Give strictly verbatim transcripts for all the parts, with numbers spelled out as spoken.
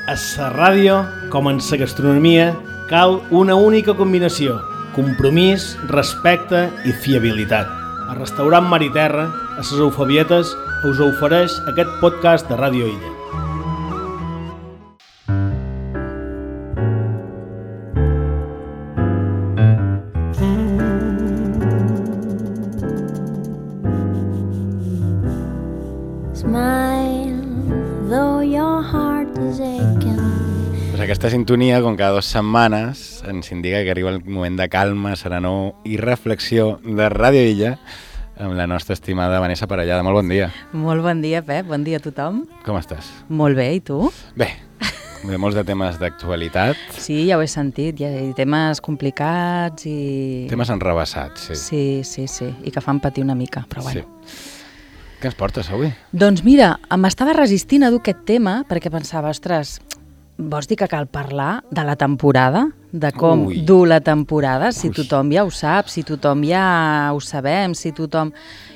A la ràdio, com en la gastronomia, cal una única combinació: compromís, respecte i fiabilitat. El restaurant Mar i Terra, a les Eufebietes, us ofereix aquest podcast de Ràdio Illa. Aquesta sintonia, com cada dues setmanes, ens indica que arriba el moment de calma, serenor i reflexió de Ràdio Illa amb la nostra estimada Vanessa Parellada. Molt bon dia. Molt bon dia, Pep. Bon dia a tothom. Com estàs? Molt bé, i tu? Bé, de molts de temes d'actualitat. Sí, ja ho he sentit. Hi ha temes complicats i... Temes enrebaçats, sí. Sí, sí, sí. I que fan patir una mica, però bueno. Sí. Què ens portes avui? Doncs mira, m'estava resistint a dur aquest tema perquè pensava, ostres... Vols dir que cal parlar de la temporada? De com Ui. dur la temporada? Si Ui. tothom ja ho sap, si tothom ja ho sabem, si tothom...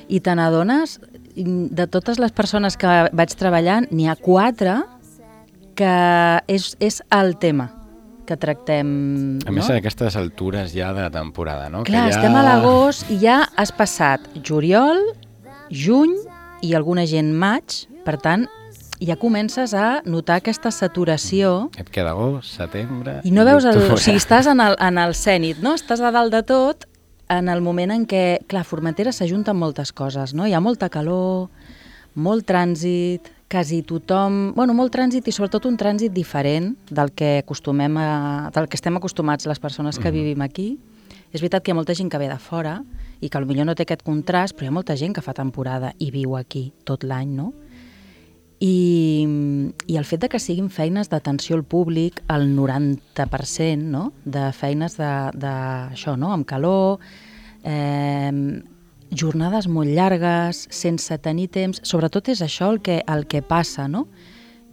I te n'adones, de totes les persones que vaig treballant, n'hi ha quatre que és, és el tema que tractem. A més, no? a aquestes altures ja de la temporada, no? Clar, que ja... estem a l'agost i ja has passat juliol, juny i alguna gent maig, per tant, ja comences a notar aquesta saturació. Et queda agost, setembre... I no veus, el, octubre. o sigui, estàs en el, en el cènit, no? Estàs a dalt de tot en el moment en què, clar, Formentera s'ajunta amb moltes coses, no? Hi ha molta calor, molt trànsit, quasi tothom... Bueno, molt trànsit i sobretot un trànsit diferent del que acostumem a, del que estem acostumats les persones que mm-hmm. vivim aquí. És veritat que hi ha molta gent que ve de fora i que potser no té aquest contrast, però hi ha molta gent que fa temporada i viu aquí tot l'any, no? I, i el fet de que siguin feines d'atenció al públic, el noranta per cent, no? De feines de, de això, no? Amb calor, eh, jornades molt llargues, sense tenir temps, sobretot és això el que, el que passa, no?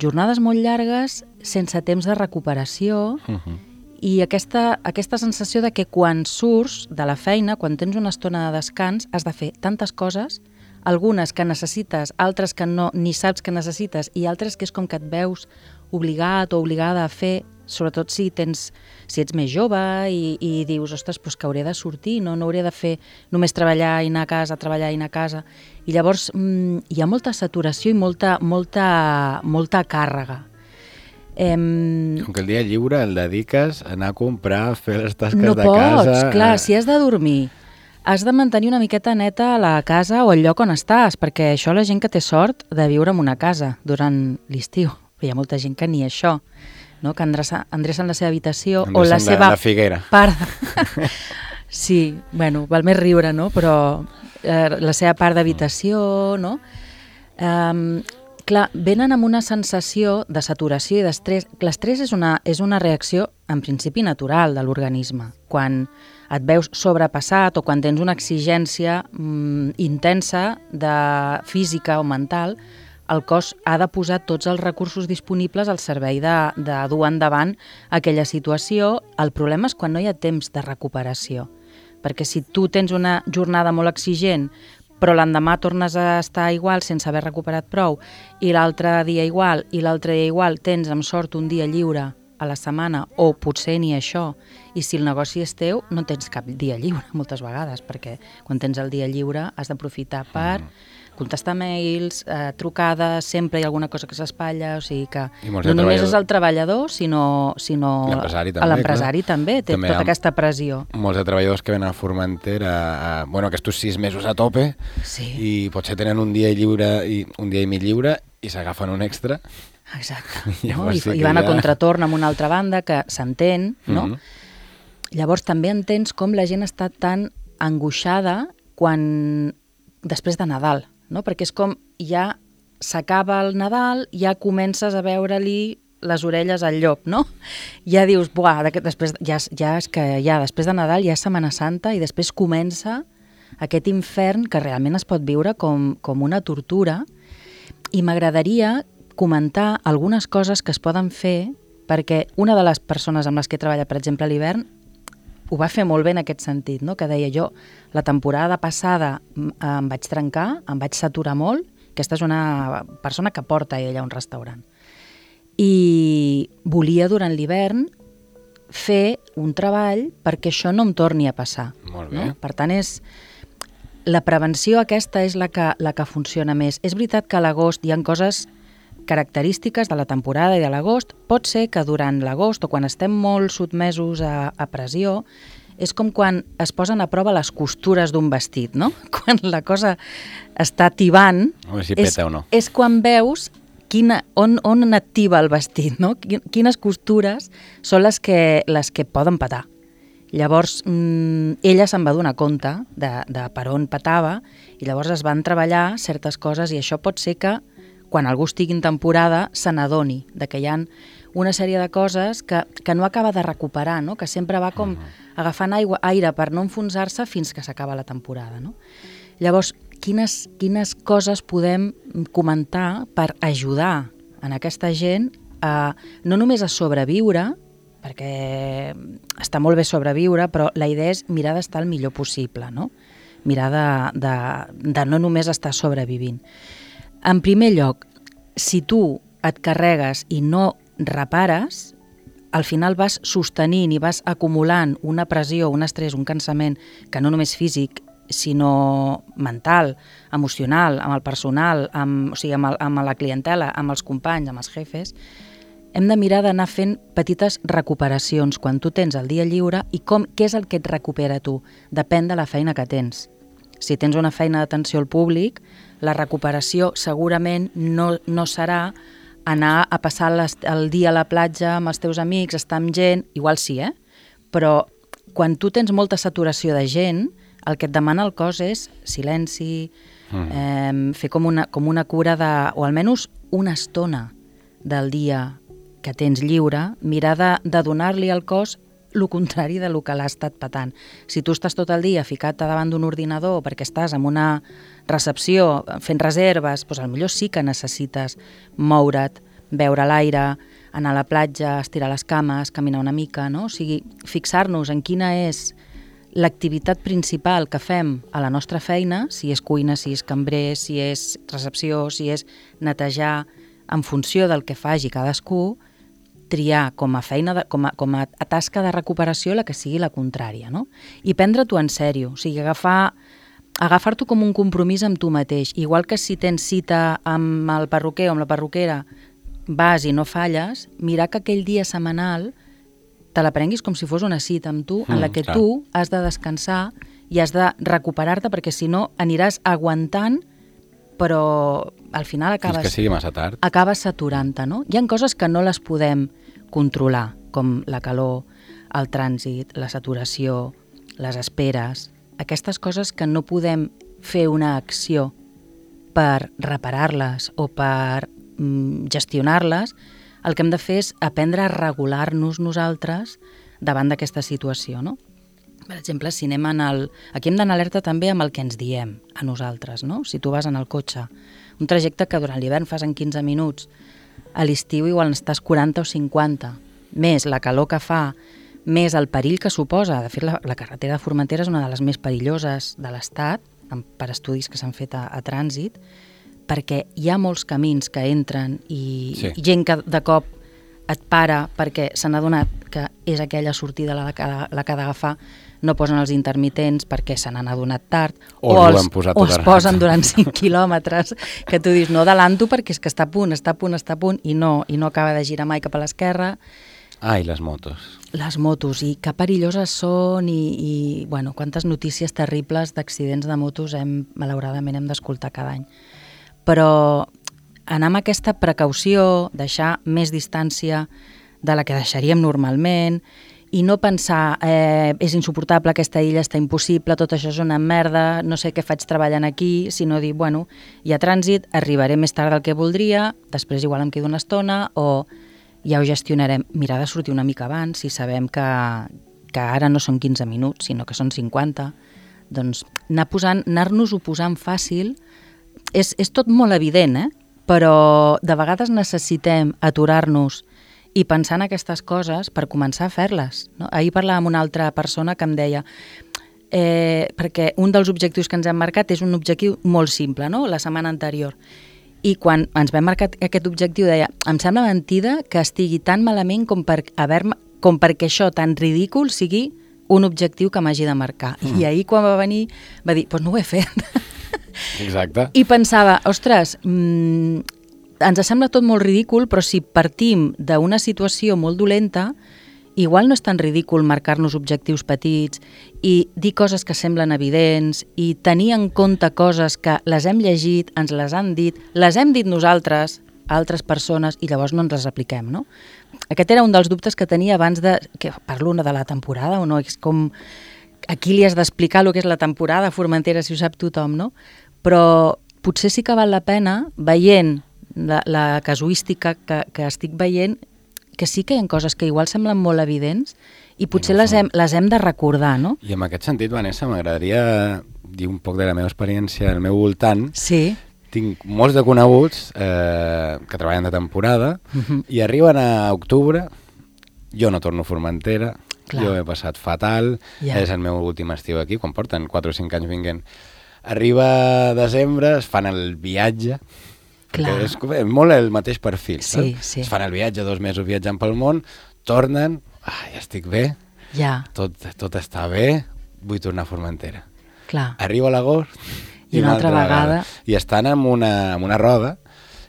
Jornades molt llargues, sense temps de recuperació, uh-huh. i aquesta, aquesta sensació de que quan surts de la feina, quan tens una estona de descans, has de fer tantes coses, algunes que necessites, altres que no, ni saps que necessites, i altres que és com que et veus obligat o obligada a fer, sobretot si tens, si ets més jove i, i dius, ostres, doncs que hauré de sortir, no, no hauré de fer només treballar i anar a casa, treballar i anar a casa. I llavors mmm, hi ha molta saturació i molta, molta, molta càrrega. Em... Com que el dia lliure el dediques a anar a comprar, a fer les tasques no de casa... No pots, clar, si has de dormir, has de mantenir una miqueta neta la casa o el lloc on estàs, perquè això la gent que té sort de viure en una casa durant l'estiu. Hi ha molta gent que ni això, no? Que endrecen la seva habitació endrecen o la de, seva de Figuera. part... Sí, bueno, val més riure, no? Però eh, la seva part d'habitació, no? Um, clar, venen amb una sensació de saturació i d'estrès. L'estrès és una, és una reacció, en principi, natural de l'organisme. Quan et veus sobrepassat o quan tens una exigència mm, intensa de física o mental, el cos ha de posar tots els recursos disponibles al servei de, de dur endavant aquella situació. El problema és quan no hi ha temps de recuperació, perquè si tu tens una jornada molt exigent però l'endemà tornes a estar igual sense haver recuperat prou i l'altre dia igual i l'altre dia igual, tens amb sort un dia lliure a la setmana, o potser ni això, i si el negoci és teu, no tens cap dia lliure moltes vegades, perquè quan tens el dia lliure has d'aprofitar per contestar mails, eh, trucades, sempre hi ha alguna cosa que s'espatlla, o sigui que no només és el treballador, sinó, sinó l'empresari també, l'empresari també té també tota aquesta pressió. Molts de treballadors que venen a Formentera, a, bueno, aquests sis mesos a tope, sí. I potser tenen un dia lliure i un dia i mig lliure i s'agafen un extra. Exacte, no? I, sí i van ja... a contratorn amb una altra banda que s'entén, no? Mm-hmm. Llavors també entens com la gent està tan angoixada quan després de Nadal, no? Perquè és com ja s'acaba el Nadal, ja comences a veure-li les orelles al llop, no? Ja dius, buah, després, ja, ja és que ja després de Nadal ja és Setmana Santa i després comença aquest infern que realment es pot viure com, com una tortura, i m'agradaria comentar algunes coses que es poden fer, perquè una de les persones amb les que treballa, per exemple, a l'hivern, ho va fer molt bé en aquest sentit, no? Que deia jo, la temporada passada em vaig trencar, em vaig saturar molt, aquesta és una persona que porta ella a un restaurant. I, i volia durant l'hivern fer un treball perquè això no em torni a passar. Molt bé. No? Per tant, és... la prevenció aquesta és la que, la que funciona més. És veritat que a l'agost hi ha coses característiques de la temporada i de l'agost. Pot ser que durant l'agost o quan estem molt sotmesos a, a pressió, és com quan es posen a prova les costures d'un vestit, no? Quan la cosa està tibant, O si és, peta o no. és quan veus quina, on, on activa el vestit, no? Quines costures són les que, les que poden petar. Llavors, mmm, ella se'n va donar compte de, de per on petava i llavors es van treballar certes coses i això pot ser que quan algú estigui en temporada se n'adoni de que hi ha una sèrie de coses que, que no acaba de recuperar, no? Que sempre va com agafant aigua, aire per no enfonsar-se fins que s'acaba la temporada. No? Llavors, quines, quines coses podem comentar per ajudar en aquesta gent a, no només a sobreviure, perquè està molt bé sobreviure, però la idea és mirar d'estar el millor possible, no? Mirar de, de, de no només estar sobrevivint. En primer lloc, si tu et carregues i no repares, al final vas sostenint i vas acumulant una pressió, un estrès, un cansament que no només físic, sinó mental, emocional, amb el personal, amb, o sigui, amb, el, amb la clientela, amb els companys, amb els jefes. Hem de mirar d'anar fent petites recuperacions quan tu tens el dia lliure i com, què és el que et recupera tu? Depèn de la feina que tens. Si tens una feina d'atenció al públic, la recuperació segurament no, no serà anar a passar les, el dia a la platja amb els teus amics, estar amb gent, igual sí, eh? Però quan tu tens molta saturació de gent, el que et demana el cos és silenci, mm. eh, fer com una, com una cura de, o almenys una estona del dia que tens lliure, mirar de, de donar-li al cos el contrari de lo que l'ha estat patant. Si tu estàs tot el dia ficat davant d'un ordinador perquè estàs en una recepció fent reserves, doncs potser sí que necessites moure't, veure l'aire, anar a la platja, estirar les cames, caminar una mica, no? O sigui, fixar-nos en quina és l'activitat principal que fem a la nostra feina, si és cuina, si és cambrer, si és recepció, si és netejar, en funció del que faci cadascú, triar com a feina, de, com, a, com a tasca de recuperació la que sigui la contrària, no? I prendre-t'ho en sèrio, o sigui, agafar, agafar-t'ho com un compromís amb tu mateix. Igual que si tens cita amb el perruquer o amb la perruquera, vas i no falles, mirar que aquell dia setmanal te la prenguis com si fos una cita amb tu, en la que mm, tu has de descansar i has de recuperar-te, perquè si no aniràs aguantant, però al final acabes... Fins que sigui massa tard. Acabes saturant-te, no? Hi ha coses que no les podem controlar, com la calor, el trànsit, la saturació, les esperes, aquestes coses que no podem fer una acció per reparar-les o per mm, gestionar-les, el que hem de fer és aprendre a regular-nos nosaltres davant d'aquesta situació, no? Per exemple, si anem en el... Aquí hem d'anar alerta també amb el que ens diem a nosaltres, no? Si tu vas en el cotxe, un trajecte que durant l'hivern fas en quinze minuts, a l'estiu igual n'estàs quaranta o cinquanta, més la calor que fa, més el perill que suposa. De fet, la, la carretera de Formentera és una de les més perilloses de l'Estat, per estudis que s'han fet a, a trànsit, perquè hi ha molts camins que entren i sí. gent que de cop et para perquè se n'ha donat que és aquella sortida la que, la que ha d'agafar, no posen els intermitents perquè se n'han adonat tard, o, o, els, o es posen durant cinc quilòmetres, que tu dius, no adelanto perquè és que està a punt, està a punt, està a punt, i no, i no acaba de girar mai cap a l'esquerra. Ah, i les motos. Les motos, i que perilloses són, i, i bueno, quantes notícies terribles d'accidents de motos hem, malauradament hem d'escoltar cada any. Però anar amb aquesta precaució, deixar més distància de la que deixaríem normalment, i no pensar, eh, és insuportable, aquesta illa està impossible, tot això és una merda, no sé què faig treballant aquí, sinó dir, bueno, hi ha trànsit, arribaré més tard del que voldria, després igual em quedo una estona, o ja ho gestionarem. Mirar de sortir una mica abans, si sabem que, que ara no són quinze minuts, sinó que són cinquanta, doncs anar posant, anar-nos-ho posant fàcil, és, és tot molt evident, eh? Però de vegades necessitem aturar-nos i pensar en aquestes coses per començar a fer-les, no? Ahir parlava amb una altra persona que em deia, eh, perquè un dels objectius que ens hem marcat és un objectiu molt simple, no? La setmana anterior. I quan ens vam marcar aquest objectiu deia, em sembla mentida que estigui tan malament com, per haver com perquè això tan ridícul sigui un objectiu que m'hagi de marcar. Mm. I ahir quan va venir va dir, doncs no ho he fet. Exacte. I pensava, ostres, mmm, ens sembla tot molt ridícul, però si partim d'una situació molt dolenta, igual no és tan ridícul marcar-nos objectius petits i dir coses que semblen evidents i tenir en compte coses que les hem llegit, ens les han dit, les hem dit nosaltres, altres persones, i llavors no ens les apliquem, no? Aquest era un dels dubtes que tenia abans de... que parlo de la temporada o no? És com... Aquí li has d'explicar el que és la temporada a Formentera, si ho sap tothom, no? Però potser sí que val la pena, veient la, la casuística que, que estic veient, que sí que hi ha coses que igual semblen molt evidents i potser I no les, hem, les hem de recordar, no? I en aquest sentit, Vanessa, m'agradaria dir un poc de la meva experiència al meu voltant. Sí. Tinc molts de coneguts eh, que treballen de temporada uh-huh. i arriben a octubre, jo no torno a Formentera, Clar. Jo he passat fatal, yeah. és el meu últim estiu aquí, quan porten quatre o cinc anys vinguent. Arriba desembre, es fan el viatge, és molt el mateix perfil, sí, sí. es fan el viatge, dos mesos viatjant pel món, tornen, ah, ja estic bé, yeah. tot, tot està bé, vull tornar a Formentera. Clar. Arriba l'agost i, i una altra vegada. vegada. I estan en una, en una roda,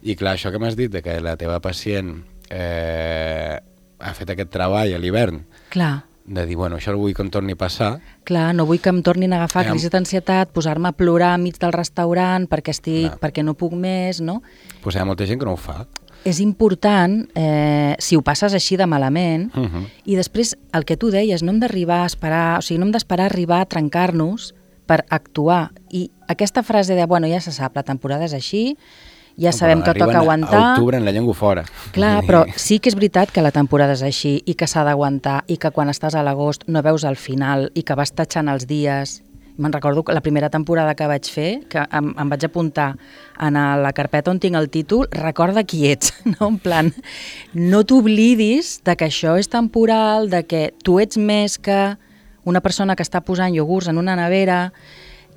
i clar, això que m'has dit, de que la teva pacient eh, ha fet aquest treball a l'hivern, clar. de dir, bueno, això el vull que em torni a passar. Clar, no vull que em tornin a agafar eh, crisi d'ansietat, posar-me a plorar enmig del restaurant perquè estic, clar. perquè no puc més, no? Pues hi ha molta gent que no ho fa. És important, eh, si ho passes així de malament, uh -huh. i després el que tu deies, no hem d'arribar a esperar, o sigui, no hem d'esperar arribar a trencar-nos per actuar. I aquesta frase de, bueno, ja se sap, la temporada és així, ja sabem que toca aguantar... a octubre en la llengua fora. Clar, però sí que és veritat que la temporada és així i que s'ha d'aguantar i que quan estàs a l'agost no veus el final i que vas tatxant els dies. Me'n recordo que la primera temporada que vaig fer, que em, em vaig apuntar en la carpeta on tinc el títol, recorda qui ets, no? En plan, no t'oblidis de que això és temporal, de que tu ets més que una persona que està posant iogurts en una nevera.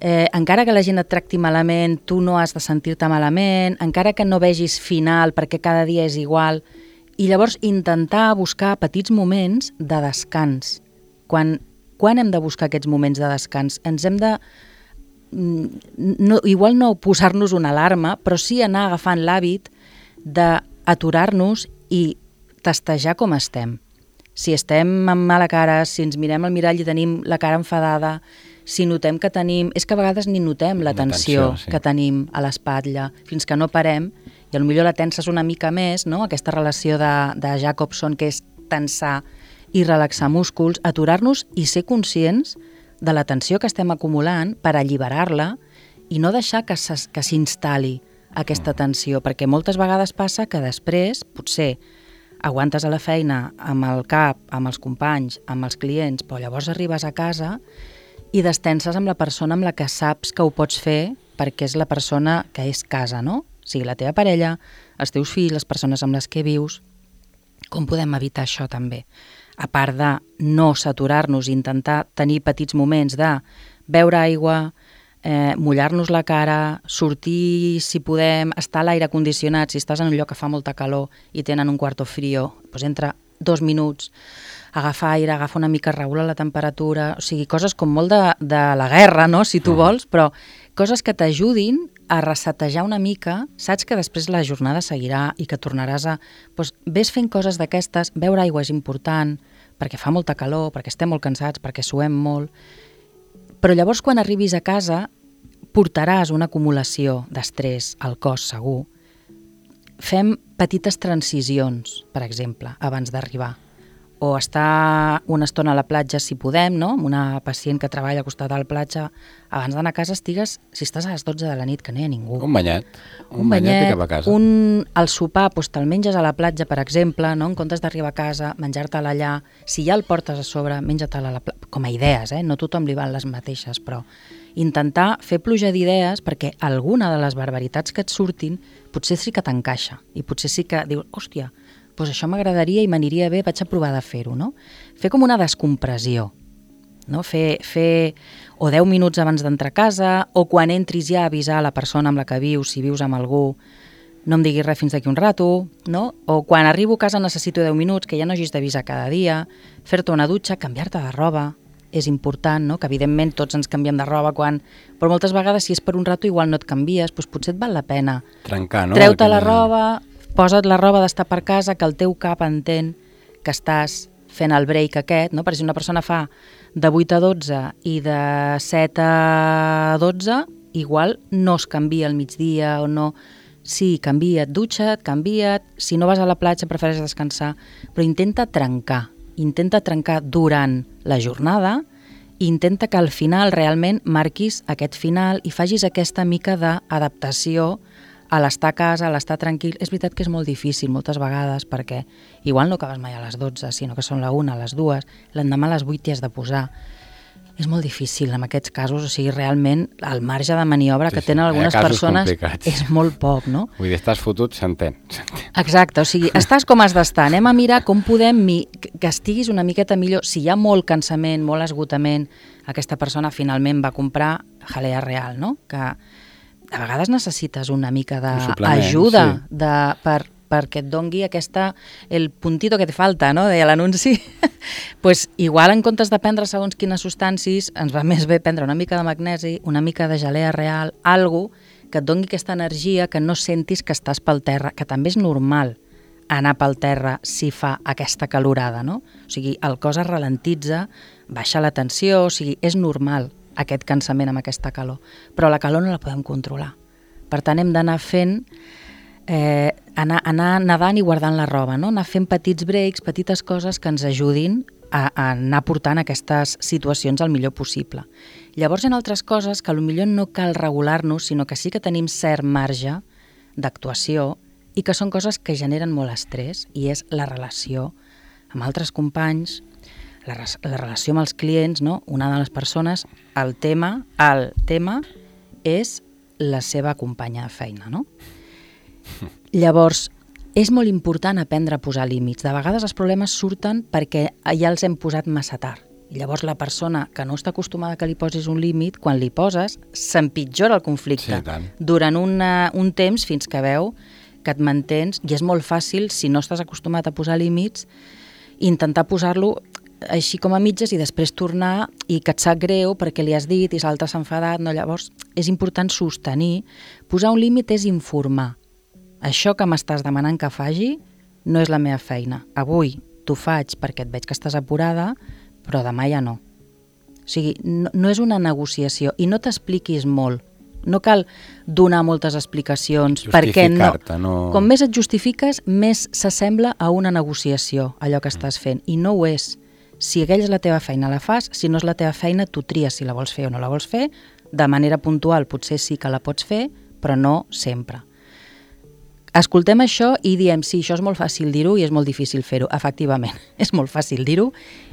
Eh, encara que la gent et tracti malament, tu no has de sentir-te malament, encara que no vegis final perquè cada dia és igual, i llavors intentar buscar petits moments de descans. Quan, quan hem de buscar aquests moments de descans? Ens hem de... No, igual no posar-nos una alarma, però sí anar agafant l'hàbit d'aturar-nos i tastejar com estem. Si estem amb mala cara, si ens mirem al mirall i tenim la cara enfadada, si notem que tenim... És que a vegades ni notem la tensió sí. que tenim a l'espatlla, fins que no parem, i potser la tenses una mica més, no? Aquesta relació de, de Jacobson, que és tensar i relaxar músculs, aturar-nos i ser conscients de la tensió que estem acumulant per alliberar-la i no deixar que s'instal·li aquesta tensió, perquè moltes vegades passa que després, potser, aguantes a la feina amb el cap, amb els companys, amb els clients, però llavors arribes a casa i destenses amb la persona amb la que saps que ho pots fer perquè és la persona que és casa, no? O sigui, la teva parella, els teus fills, les persones amb les que vius. Com podem evitar això també? A part de no saturar-nos i intentar tenir petits moments de beure aigua, eh, mullar-nos la cara, sortir si podem, estar a l'aire condicionat, si estàs en un lloc que fa molta calor i tenen un quarto frío, doncs entra dos minuts, agafar aire, agafa una mica, regula la temperatura, o sigui, coses com molt de, de la guerra, no?, si tu vols, però coses que t'ajudin a resetejar una mica, saps que després la jornada seguirà i que tornaràs a... Doncs ves fent coses d'aquestes, beure aigua és important, perquè fa molta calor, perquè estem molt cansats, perquè suem molt, però llavors quan arribis a casa portaràs una acumulació d'estrès al cos segur. Fem petites transicions, per exemple, abans d'arribar. O estar una estona a la platja si podem, no? Amb una pacient que treballa al costat de la platja, abans d'anar a casa estigues, si estàs a les dotze de la nit, que no hi ha ningú. Un banyet, un, un banyet, banyet i cap a casa. Un, el sopar, doncs te'l menges a la platja, per exemple, no? En comptes d'arribar a casa, menjar-te'l allà, si ja el portes a sobre, menja-te'l a la platja, com a idees, eh? No tothom li van les mateixes, però intentar fer pluja d'idees perquè alguna de les barbaritats que et surtin potser sí que t'encaixa i potser sí que dius, hòstia, doncs això m'agradaria i m'aniria bé, vaig a provar de fer-ho, no? Fer com una descompressió, no? Fer, fer o deu minuts abans d'entrar a casa o quan entris ja avisar la persona amb la que vius, si vius amb algú, no em diguis res fins d'aquí un rato, no? O quan arribo a casa necessito deu minuts, que ja no hagis d'avisar cada dia, fer-te una dutxa, canviar-te de roba, és important, no? Que evidentment tots ens canviem de roba quan... Però moltes vegades si és per un rato igual no et canvies, doncs potser et val la pena. Trencar, no? Treu-te la roba, posa't la roba d'estar per casa, que el teu cap entén que estàs fent el break aquest, no? Perquè si una persona fa de vuit a dotze i de set a dotze, igual no es canvia al migdia o no... Sí, canvia't, dutxa't, canvia't, si no vas a la platja prefereixes descansar, però intenta trencar, intenta trencar durant la jornada i intenta que al final realment marquis aquest final i facis aquesta mica d'adaptació a l'estar a casa, a l'estar tranquil. És veritat que és molt difícil moltes vegades perquè igual no acabes mai a les dotze, sinó que són la una, a les dues, l'endemà a les vuit t'hi has de posar. És molt difícil en aquests casos, o sigui, realment el marge de maniobra sí, que tenen algunes persones complicats. És molt poc, no? Vull dir, estàs fotut, s'entén. Exacte, o sigui, estàs com has d'estar, anem a mirar com podem mi... que estiguis una miqueta millor. Si hi ha molt cansament, molt esgotament, aquesta persona finalment va comprar jalea real, no? Que a vegades necessites una mica d'ajuda sí. de, per, perquè et dongui aquesta, el puntito que te falta, no? Deia l'anunci. Pues igual en comptes de prendre segons quines substàncies ens va més bé prendre una mica de magnesi, una mica de gelea real, algo que et doni aquesta energia, que no sentis que estàs pel terra, que també és normal anar pel terra si fa aquesta calorada, no? O sigui, el cos es ralentitza, baixa la tensió, o sigui, és normal aquest cansament amb aquesta calor, però la calor no la podem controlar. Per tant, hem d'anar fent Eh, anar, anar nedant i guardant la roba, no? Anar fent petits breaks, petites coses que ens ajudin a, a anar portant aquestes situacions el millor possible. Llavors hi ha altres coses que potser no cal regular-nos, sinó que sí que tenim cert marge d'actuació i que són coses que generen molt estrès, i és la relació amb altres companys, la, la relació amb els clients, no? Una de les persones, el tema, el tema és la seva companya de feina, no? Llavors, és molt important aprendre a posar límits. De vegades els problemes surten perquè ja els hem posat massa tard. Llavors la persona que no està acostumada que li posis un límit, quan li poses, s'empitjora el conflicte sí, durant una, un temps fins que veu que et mantens, i és molt fàcil, si no estàs acostumat a posar límits, intentar posar-lo així com a mitges i després tornar i que et sap greu perquè li has dit i l'altre s'ha enfadat. No? Llavors és important sostenir. Posar un límit és informar. Això que m'estàs demanant que faci no és la meva feina. Avui t'ho faig perquè et veig que estàs apurada, però demà ja no. O sigui, no, no és una negociació i no t'expliquis molt. No cal donar moltes explicacions perquè no, no... Com més et justifiques, més s'assembla a una negociació, allò que estàs fent, i no ho és. Si aquella és la teva feina, la fas. Si no és la teva feina, tu tries si la vols fer o no la vols fer. De manera puntual potser sí que la pots fer, però no sempre. Escoltem això i diem, sí, això és molt fàcil dir-ho i és molt difícil fer-ho. Efectivament, és molt fàcil dir-ho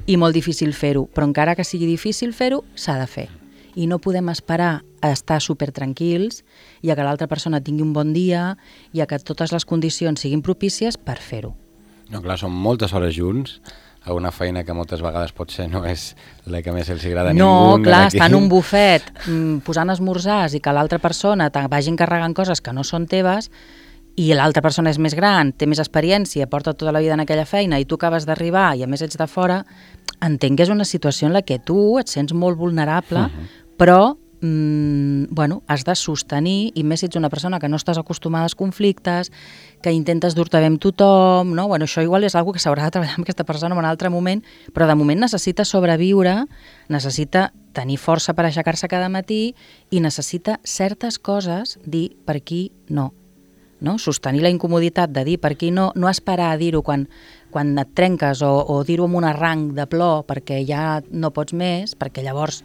i molt difícil fer-ho, però encara que sigui difícil fer-ho, s'ha de fer. I no podem esperar a estar supertranquils i a que l'altra persona tingui un bon dia i a que totes les condicions siguin propícies per fer-ho. No, clar, són moltes hores junts a una feina que moltes vegades potser no és la que més els agrada a no, ningú. No, clar, estar en un bufet posant esmorzars i que l'altra persona te vagi encarregant coses que no són teves i l'altra persona és més gran, té més experiència, porta tota la vida en aquella feina i tu acabes d'arribar i a més ets de fora, entenc que és una situació en la que tu et sents molt vulnerable, uh-huh. però mm, bueno, has de sostenir, i més si ets una persona que no estàs acostumada als conflictes, que intentes dur-te bé amb tothom, no? Bueno, això igual és una cosa que s'haurà de treballar amb aquesta persona en un altre moment, però de moment necessita sobreviure, necessita tenir força per aixecar-se cada matí i necessita certes coses dir per aquí no. No? Sostenir la incomoditat de dir per aquí no, no esperar a dir-ho quan, quan et trenques o, o dir-ho amb un arranc de plor perquè ja no pots més, perquè llavors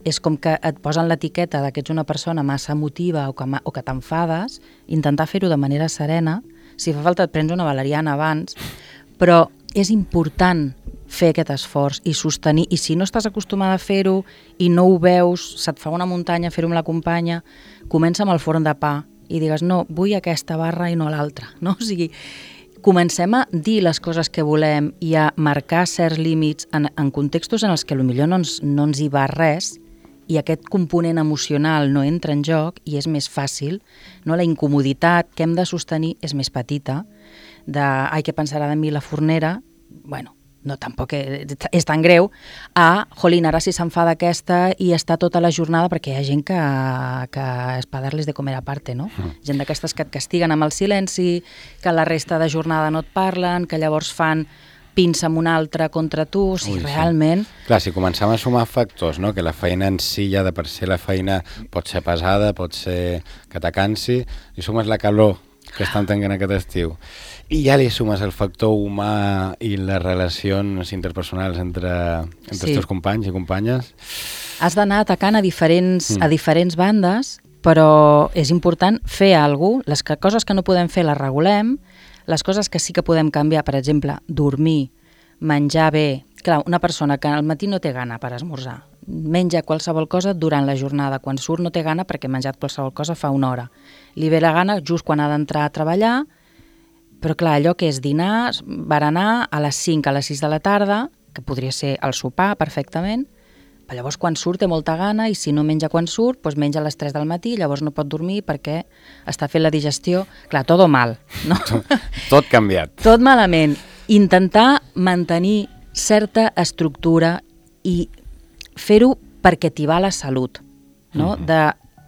és com que et posen l'etiqueta de que ets una persona massa emotiva o que, o que t'enfades, intentar fer-ho de manera serena. Si fa falta et prens una valeriana abans, però és important fer aquest esforç i sostenir, i si no estàs acostumada a fer-ho i no ho veus, se't fa una muntanya fer-ho amb la companya, comença amb el forn de pa i digues, no, vull aquesta barra i no l'altra, no? O sigui, comencem a dir les coses que volem i a marcar certs límits en, en contextos en els que potser no ens, no ens hi va res i aquest component emocional no entra en joc i és més fàcil, no? La incomoditat que hem de sostenir és més petita, de ai, què pensarà de mi la fornera, bueno, no tampoc és tan greu, a, jolín, ara si se'n fa d'aquesta i està tota la jornada, perquè hi ha gent que, que és per dar-les de comer a parte, no? Mm. Gent d'aquestes que et castiguen amb el silenci, que la resta de jornada no et parlen, que llavors fan pinça amb un altre contra tu, o sigui, Ui, realment... Sí. Clar, si comencem a sumar factors, no? Que la feina en si ja de per si la feina pot ser pesada, pot ser que t'acansi, i sumes la calor que estan tenint aquest estiu, i ja li sumes el factor humà i les relacions interpersonals entre, entre sí. els teus companys i companyes... Has d'anar atacant a diferents, mm. a diferents bandes, però és important fer alguna cosa, les que, coses que no podem fer les regulem, les coses que sí que podem canviar, per exemple, dormir, menjar bé... Clar, una persona que al matí no té gana per esmorzar, menja qualsevol cosa durant la jornada, quan surt no té gana perquè ha menjat qualsevol cosa fa una hora. Li ve la gana just quan ha d'entrar a treballar, però clar, allò que és dinar, berenar a les cinc, a les sis de la tarda, que podria ser el sopar perfectament, però llavors quan surt té molta gana i si no menja quan surt, doncs menja a les tres del matí, llavors no pot dormir perquè està fent la digestió. Clar, tot mal, no? Tot canviat. Tot malament. Intentar mantenir certa estructura i fer-ho perquè t'hi va la salut, no? Mm-hmm. De,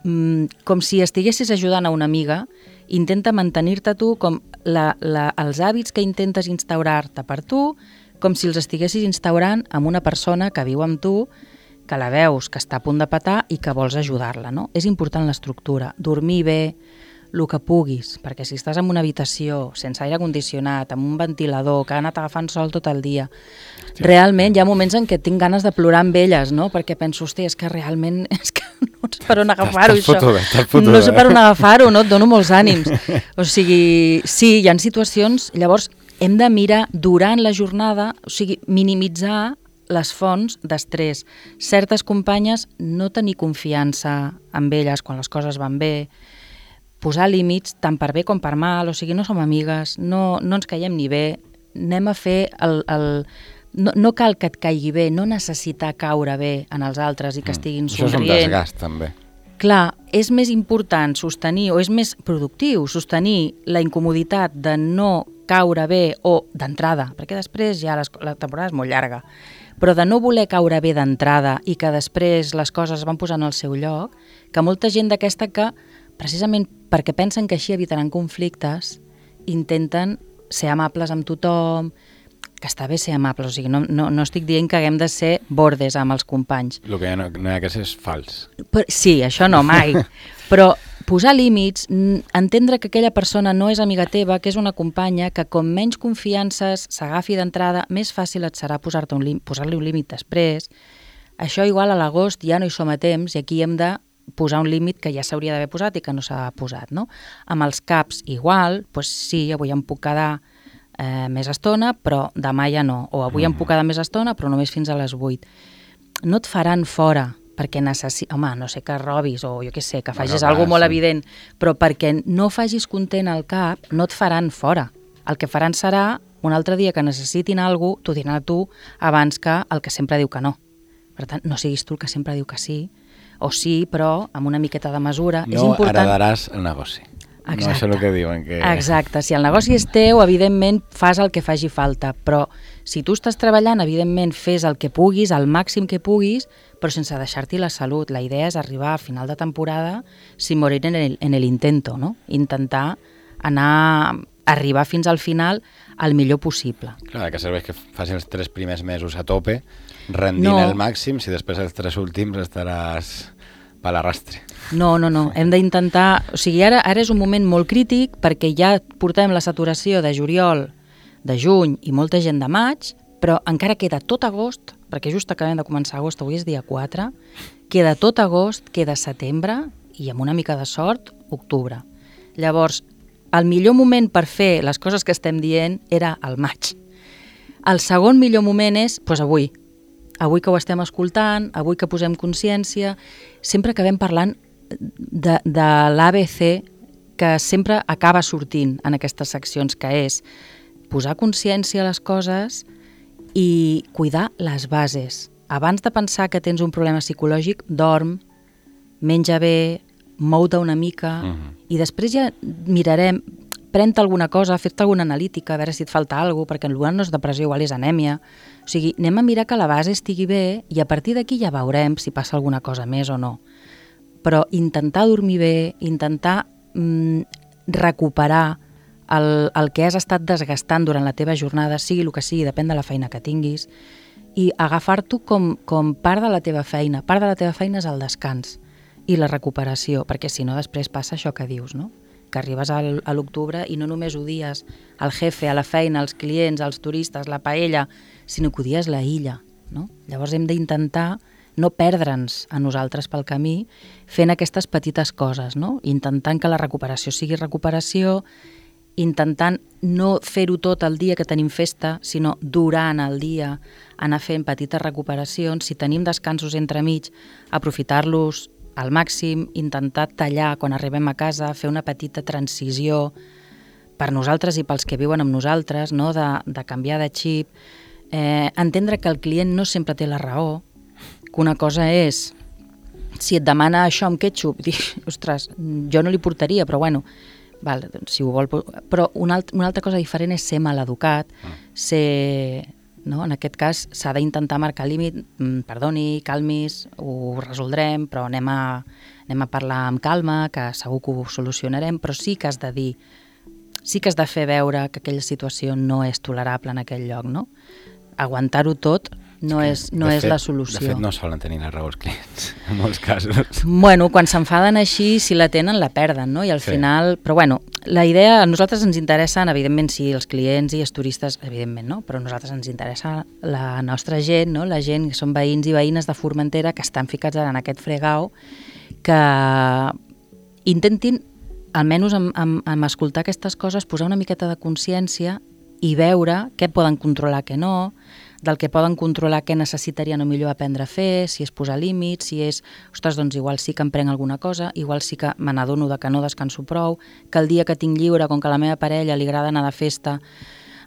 mm, com si estiguessis ajudant a una amiga, intenta mantenir-te tu com la, la, els hàbits que intentes instaurar-te per tu, com si els estiguessis instaurant amb una persona que viu amb tu, que la veus, que està a punt de petar i que vols ajudar-la, no? És important l'estructura, dormir bé, el que puguis, perquè si estàs en una habitació sense aire condicionat, amb un ventilador, que ha anat agafant sol tot el dia, sí. Realment hi ha moments en què tinc ganes de plorar amb elles, no? Perquè penso, hòstia, és que realment és que no sé per on agafar-ho, això. Fotuda, fotuda, no sé per on agafar-ho, no? Et dono molts ànims. O sigui, sí, hi ha situacions, llavors hem de mirar durant la jornada, o sigui, minimitzar les fonts d'estrès. Certes companyes, no tenir confiança en elles quan les coses van bé, posar límits tant per bé com per mal, o sigui, no som amigues, no, no ens caiem ni bé, anem a fer el... el no, no cal que et caigui bé, no necessitar caure bé en els altres i que estiguin mm, somrient. Això és un desgast, també. Clar, és més important sostenir, o és més productiu sostenir la incomoditat de no caure bé o d'entrada, perquè després ja les, la temporada és molt llarga, però de no voler caure bé d'entrada i que després les coses van posant al seu lloc, que molta gent d'aquesta que precisament perquè pensen que així evitaran conflictes, intenten ser amables amb tothom, que està bé ser amables, o sigui, no, no, no estic dient que haguem de ser bordes amb els companys. El que no, no hi ha que ser és fals. Però, sí, això no, mai. Però posar límits, entendre que aquella persona no és amiga teva, que és una companya, que com menys confiances s'agafi d'entrada, més fàcil et serà posar-te un límit, posar-li un límit després. Això igual a l'agost ja no hi som a temps i aquí hem de posar un límit que ja s'hauria d'haver posat i que no s'ha posat, no? Amb els caps igual, doncs sí, avui em puc quedar eh, més estona, però demà ja no, o avui em puc quedar més estona, però només fins a les vuit. No et faran fora, perquè necessi... Home, no sé que robis, o jo què sé, que facis no, alguna cosa molt sí. evident, però perquè no facis content al cap, no et faran fora. El que faran serà, un altre dia que necessitin alguna cosa, t'ho diran a tu abans que el que sempre diu que no. Per tant, no siguis tu el que sempre diu que sí, o sí, però amb una miqueta de mesura. No és important... heredaràs el negoci. Exacte. No, això és el que diuen. Que... Exacte, si el negoci és teu, evidentment fas el que faci falta, però si tu estàs treballant, evidentment fes el que puguis, el màxim que puguis, però sense deixar-t'hi la salut. La idea és arribar a final de temporada sin morir en el, en el intento, no? Intentar anar, arribar fins al final el millor possible. Clar, que serveix que faci els tres primers mesos a tope, rendint no. el màxim, si després els tres últims estaràs per l'arrastre. No, no, no, hem d'intentar... O sigui, ara, ara és un moment molt crític perquè ja portem la saturació de juliol, de juny i molta gent de maig, però encara queda tot agost, perquè just acabem de començar agost, avui és dia quatre, queda tot agost, queda setembre i amb una mica de sort, octubre. Llavors, el millor moment per fer les coses que estem dient era el maig. El segon millor moment és, doncs avui, avui que ho estem escoltant, avui que posem consciència, sempre acabem parlant de, de l'A B C que sempre acaba sortint en aquestes seccions, que és posar consciència a les coses i cuidar les bases. abans de pensar que tens un problema psicològic, dorm, menja bé, mou-te una mica, uh-huh. i després ja mirarem, pren-te alguna cosa, fer-te alguna analítica, a veure si et falta alguna cosa, perquè potser no és depressió, igual és anèmia. O sigui, anem a mirar que la base estigui bé i a partir d'aquí ja veurem si passa alguna cosa més o no. Però intentar dormir bé, intentar mm, recuperar el, el que has estat desgastant durant la teva jornada, sigui el que sigui, depèn de la feina que tinguis, i agafar-t'ho com, com part de la teva feina. Part de la teva feina és el descans i la recuperació, perquè si no després passa això que dius, no? Que arribes al, a l'octubre i no només odies el jefe, a la feina, els clients, els turistes, la paella, sinó que odies la illa, no? Llavors hem d'intentar no perdre'ns a nosaltres pel camí fent aquestes petites coses, no? Intentant que la recuperació sigui recuperació, intentant no fer-ho tot el dia que tenim festa, sinó durant el dia anar fent petites recuperacions. Si tenim descansos entremig, aprofitar-los al màxim, intentar tallar quan arribem a casa, fer una petita transició per nosaltres i pels que viuen amb nosaltres, no? de, de canviar de xip, eh, entendre que el client no sempre té la raó, que una cosa és, si et demana això amb ketchup, dir, ostres, jo no li portaria, però bueno, val, si ho vol... Però una, alt, una altra cosa diferent és ser maleducat, ser... No? En aquest cas s'ha d'intentar marcar límit, perdoni, calmis, ho resoldrem, però anem a, anem a parlar amb calma, que segur que ho solucionarem, però sí que has de dir, sí que has de fer veure que aquella situació no és tolerable en aquell lloc, no? Aguantar-ho tot no és, no és fet, la solució. De fet, no solen tenir la raó els clients, en molts casos. Bueno, quan s'enfaden així, si la tenen, la perden, no? I al sí. final... Però bueno, la idea, a nosaltres ens interessen, evidentment, sí, els clients i els turistes, evidentment, no? Però a nosaltres ens interessa la nostra gent, no? La gent que són veïns i veïnes de Formentera que estan ficats en aquest fregau, que intentin, almenys amb, amb, amb escoltar aquestes coses, posar una miqueta de consciència i veure què poden controlar, què no, del que poden controlar què necessitarien o millor aprendre a fer, si és posar límits, si és, ostres, doncs igual sí que em prenc alguna cosa, igual sí que me n'adono de que no descanso prou, que el dia que tinc lliure, com que a la meva parella li agrada anar de festa,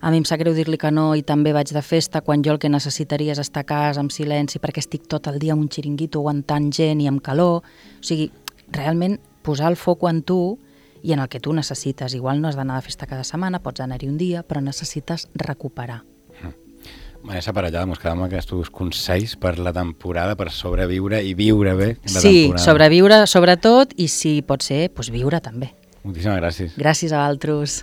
a mi em sap greu dir-li que no i també vaig de festa, quan jo el que necessitaria és estar a casa amb silenci perquè estic tot el dia amb un xiringuito aguantant gent i amb calor. O sigui, realment posar el foc en tu i en el que tu necessites. Igual no has d'anar de festa cada setmana, pots anar-hi un dia, però necessites recuperar. Vanessa Parellada, mos quedem amb aquests consells per la temporada, per sobreviure i viure bé la sí, temporada. Sí, sobreviure sobretot i si pot ser, doncs viure també. Moltíssimes gràcies. Gràcies a altres.